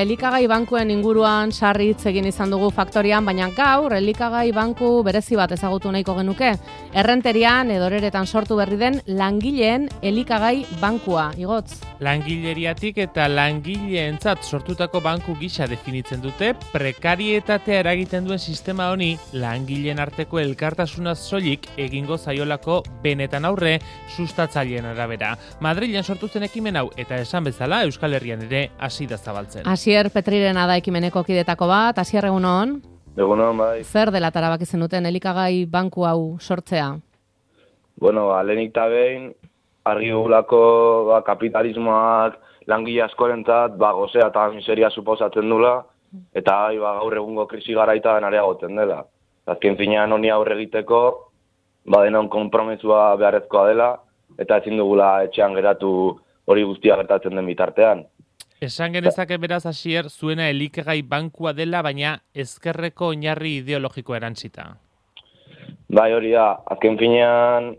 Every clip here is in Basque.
Elikagai bankuen inguruan sarritz egin izan dugu faktorian, baina gaur elikagai banku berezi bat ezagutu nahiko genuke. Errenterian edo Oreretan sortu berri den langileen elikagai bankua. Igotz? Langileriatik eta langileentzat sortutako banku gisa definitzen dute, prekarietatea eragiten duen sistema honi langileen arteko elkartasuna soilik egingo zaiolako benetan aurre sustatzaileen arabera. Madrilen sortu zen ekimen hau eta esan bezala Euskal Herrian ere hasi da zabaltzen. Asier Petrirena da ekimeneko kidetako bat. Asier, egunon? Egunon, bai. Zer dela tarabak izan duten elikagai banku hau sortzea? Bueno, lehenik eta behin, argi dugulako kapitalismoak langile askorentzat gozea eta miseria suposatzen dula, eta gaur egungo krisi garaitan areagotzen dela. Azken finean honi aurre egiteko, denon konpromesua beharrezkoa dela, eta ezin dugula etxean geratu hori guztia gertatzen den bitartean. Esan genezake beraz, Asier, zuena elikagai bankua dela, baina ezkerreko oinarri ideologikoa erantzita. Bai, hori da, azken finean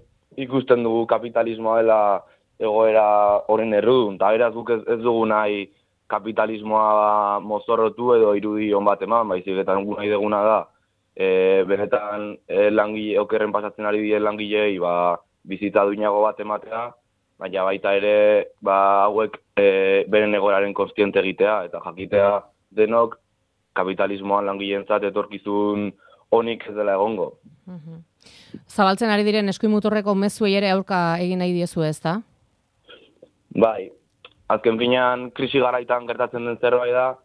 ikusten dugu kapitalismoa dela egoera horren errudun, eta beraz guk ez dugu nahi kapitalismoa mozorrotu edo irudi on bat eman, baizik eta nahi duguna da, benetan langile, okerren pasatzen ari diren langilei bizitza duinago bat ematea, baina baita ere hauek beren egoeraren kontziente egitea eta jakitea denok kapitalismoan langileentzat etorkizun onik ez dela egongo. Zabaltzen ari diren eskuimuturreko mezuei ere aurka egin nahi diezu, ezta? Bai, azken finean krisi garaitan gertatzen den zerbait da,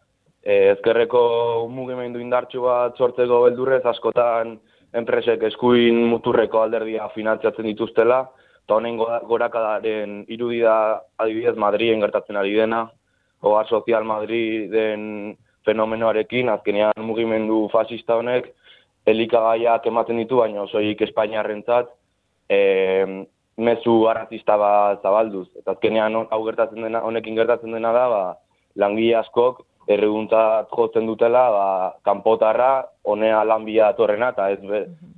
ezkerreko mugimendu indartsu bat sortzeko beldurrez askotan enpresek eskuin muturreko alderdia finantziatzen dituztela, eta honen gorakadaren irudi da adibidez Madriden gertatzen ari dena, Hogar Sozial Madriden fenomenoarekin, azkenean mugimendu fascista honek elikagaiak ematen ditu, baina soilik Espainiarrentzat mezu arrazista bat zabalduz. Eta azkenean honekin gertatzen dena da, langile askok erreguntzat jotzen dutela, kanpotarra, honea lanbia atorrena, eta ez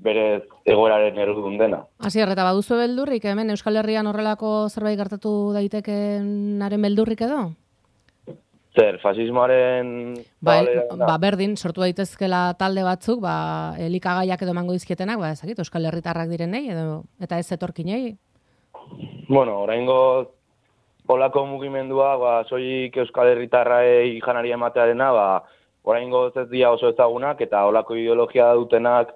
berez egoeraren errudun dena. Asier, eta baduzu beldurrik, hemen Euskal Herrian horrelako zerbait gertatu daitekenaren beldurrik edo? Zer, fasismoaren... Berdin, sortu daitezkela talde batzuk, elikagaiak edo emango dizkietenak, ezakit, Euskal Herritarrak direnei, eta ez etorkinei? Bueno, oraingo olako mugimendua, soilik Euskal Herritarraei janaria ematearena, oraingo ez dira oso ezagunak, eta olako ideologia dutenak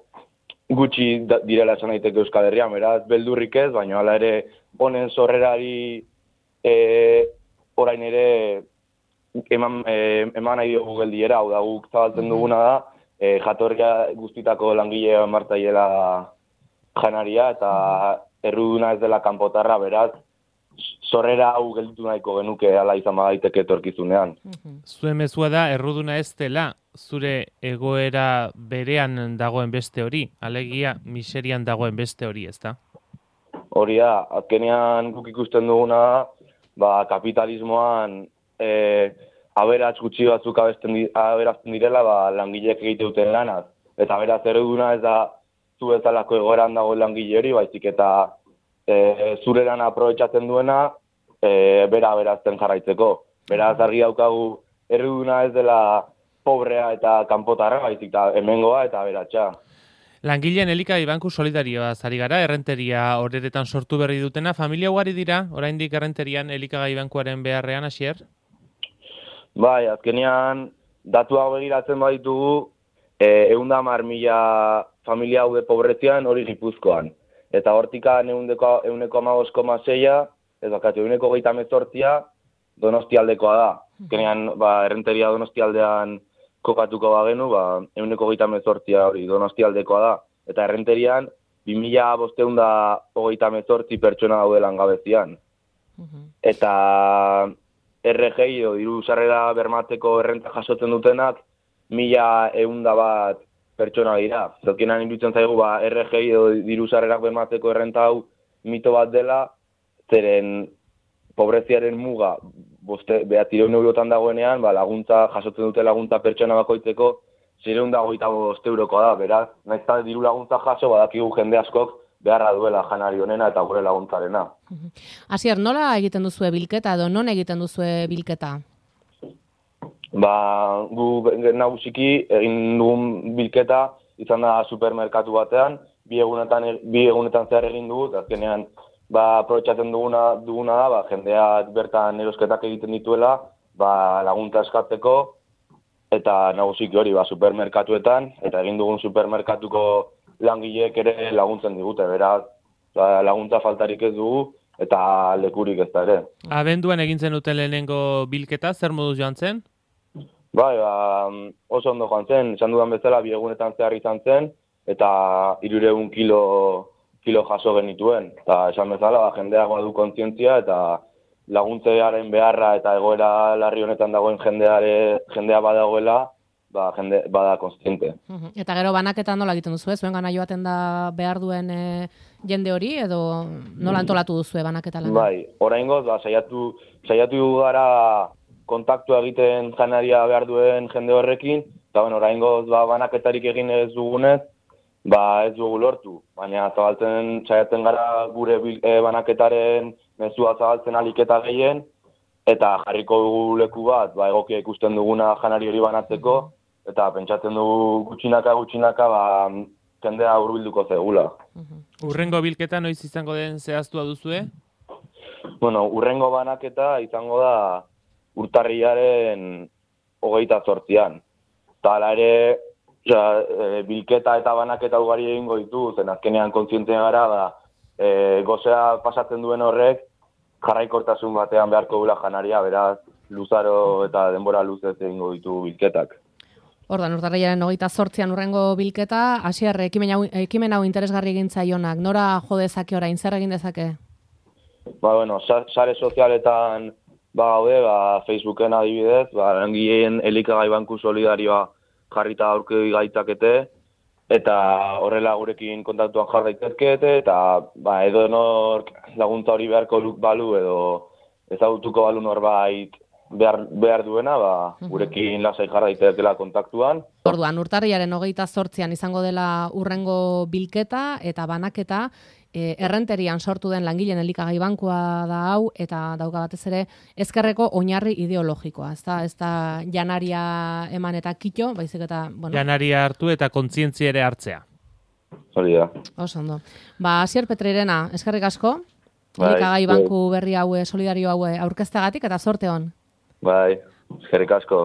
gutxi direla esan daiteke Euskal Herrian, beraz, beldurrik ez, baina hala ere honen sorrerari orain ere eman nahi dugu geldiera, hau da guk zabaltzen duguna da, jatorria guztitako langile martzaiela janaria, eta erruduna ez dela kanpotarra, beraz, sorrera hau gelditu nahiko genuke ala izan badaiteke etorkizunean. Zuen mezua da, erruduna ez dela, zure egoera berean dagoen beste hori, alegia miserian dagoen beste hori, ezta? Hori da, azkenean guk ikusten duguna kapitalismoan aberats gutxi batzuk aberazten direla langileek egite duten lanaz. Eta beraz erruduna ez da zu bezalako egoeran dagoen langile hori, baizik eta zureran aprobetxatzen duena bera aberazten jarraitzeko. Beraz argi daukagu erruduna ez dela pobrea eta kanpotarra, baizik eta hemengoa eta aberatsa. Langileen elikagai banku solidarioa zari gara, Errenteria Oreretan sortu berri dutena. Familia ugari dira, oraindik Errenterian elikagai bankuaren beharrean, Asier? Bai, azkenean datuak begiratzen baditugu, 110.000 familia haude pobrezian hori Gipuzkoan. Eta hortikan 1,5,6, ez bakatu, 1,28 Donostialdekoa da. Azkenean, Errenteria Donostialdean kokatuko bagenu, 1,28 hori Donostialdekoa da. Eta Errenterian 2.528 pertsona daude langabezian. Eta RGI edo diru sarrera bermatzeko errenta jasotzen dutenak 1.101 pertsona dira. Zokienan iruditzen zaigu, RGI edo diru sarrerak bermatzeko errenta hau mito bat dela, zeren pobreziaren muga 900 eurotan dagoenean, laguntza jasotzen dute laguntza pertsona bakoitzeko 625 eurokoa da, beraz, nahiz eta diru laguntza jaso, badakigu jende askok beharra duela janari honena eta gure laguntzarena. Asier, nola egiten duzue bilketa edo non egiten duzue bilketa? Gu nagusiki egin dugun bilketa izan da supermerkatu batean, bi egunetan zehar egin dugu, azkenean aprobetxatzen duguna da, jendeak bertan erosketak egiten dituela, laguntza eskatzeko, eta nagusiki hori supermerkatuetan, eta egin dugun supermerkatuko langileek ere laguntzen digute, beraz, laguntza faltarik ez dugu, eta lekurik ez da ere. Abenduan egin zenuten lehenengo bilketa, zer moduz joan zen? Oso ondo joan zen, esan dudan bezala, 2 egunetan zehar izan zen, eta 300 kilo jaso genituen. Eta esan bezala, jendeak badu kontzientzia, eta laguntzearen beharra eta egoera larri honetan dagoen jendea badagoela, bada kontziente. Eta gero banaketan nola egiten duzu, zuen gana joaten da behar duen jende hori, edo nola antolatu duzu banaketa lan? Oraingoz, saiatu gara kontaktua egiten janaria behar duen jende horrekin, eta oraingoz banaketarik egin ez dugunez, ez dugu lortu. Baina saiatzen gara gure banaketaren mezua zabaltzen aliketa gehien, eta jarriko dugu leku bat, egokia ikusten duguna janari hori banatzeko, eta pentsatzen dugu gutxinaka jendea hurbilduko zegula. Urrengo bilketa noiz izango den zehaztua duzue? Urrengo banaketa izango da urtarrilaren 28an. Eta hala ere, bilketa eta banaketa ugari egingo ditu, zen azkenean kontzientzia gara, gozea pasatzen duen horrek, jarraikortasun batean beharko dula janaria, beraz, luzaro eta denbora luzez egingo ditu bilketak. Ordan, urtarrilaren 28an urrengo bilketa, Asier, ekimen hau interesgarri egin zaionak, nora jo dezake orain, zer egin dezake? Sare sozialetan gaude, Facebooken adibidez, langileen elikagai banku solidarioa jarrita aurki gaitzakete, eta horrela gurekin kontaktuan jar daitezkete, eta edonork laguntza hori beharko balu edo ezagutuko balu norbait behar duena, gurekin lasai jar daitezkela kontaktuan. Orduan, urtarrilaren 28an izango dela urrengo bilketa eta banaketa, errenterian sortu den langileen elikagai bankua da hau, eta dauka batez ere ezkerreko oinarri ideologikoa, ez da janaria eman eta kito, baizik eta... Janaria hartu eta kontzientzia ere hartzea. Hori da. Oso ondo. Asier Petreirena, eskerrik asko, elikagai banku berri hau, solidario hau aurkezteagatik, eta zorte hon. Eskerrik asko.